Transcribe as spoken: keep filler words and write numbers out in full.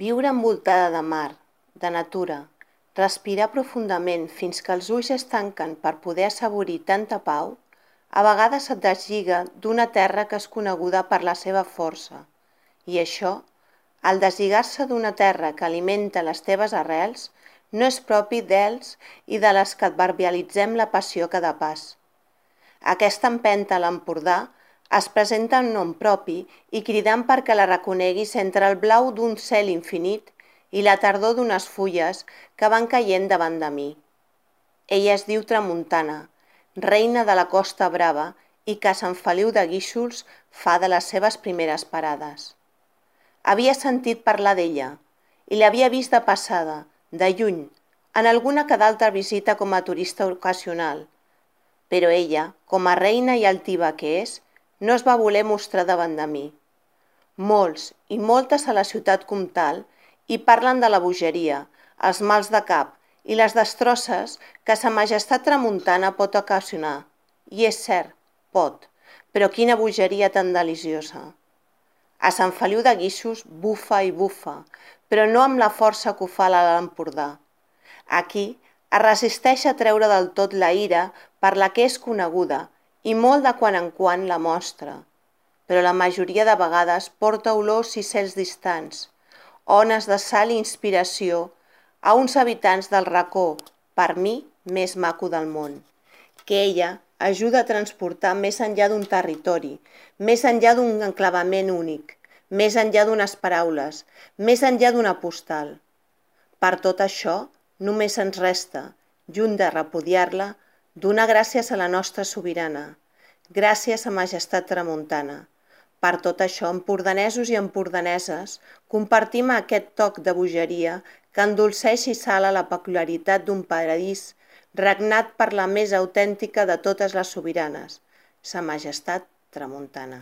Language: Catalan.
Viure envoltada de mar, de natura, respirar profundament fins que els ulls es tanquen per poder assaborir tanta pau, a vegades et deslliga d'una terra que és coneguda per la seva força. I això, el deslligar-se d'una terra que alimenta les teves arrels, no és propi d'ells i de les que adverbialitzem la passió cada pas. Aquesta empenta a l'Empordà es presenta en nom propi i cridant perquè la reconeguis entre el blau d'un cel infinit i la tardor d'unes fulles que van caient davant de mi. Ella es diu Tramuntana, reina de la Costa Brava i que a Sant Feliu de Guíxols fa de les seves primeres parades. Havia sentit parlar d'ella i l'havia vist de passada, de lluny, en alguna que d'altra visita com a turista ocasional, però ella, com a reina i altiva que és, no es va voler mostrar davant de mi. Molts i moltes a la ciutat comtal hi parlen de la bogeria, els mals de cap i les destrosses que sa majestat tramuntana pot ocasionar. I és cert, pot, però quina bogeria tan deliciosa. A Sant Feliu de Guíxols bufa i bufa, però no amb la força que ho fa a l'Empordà. Aquí es resisteix a treure del tot la ira per la que és coneguda i molt de quan en quan la mostra, però la majoria de vegades porta olors i cels distants, ones de sal i inspiració a uns habitants del racó, per mi, més maco del món, que ella ajuda a transportar més enllà d'un territori, més enllà d'un enclavament únic, més enllà d'unes paraules, més enllà d'una postal. Per tot això, només ens resta, lluny de repudiar-la, donar gràcies a la nostra sobirana, gràcies a majestat tramuntana. Per tot això, empordanesos i empordaneses, compartim aquest toc de bogeria que endolceix i sala la peculiaritat d'un paradís regnat per la més autèntica de totes les sobiranes, sa majestat tramuntana.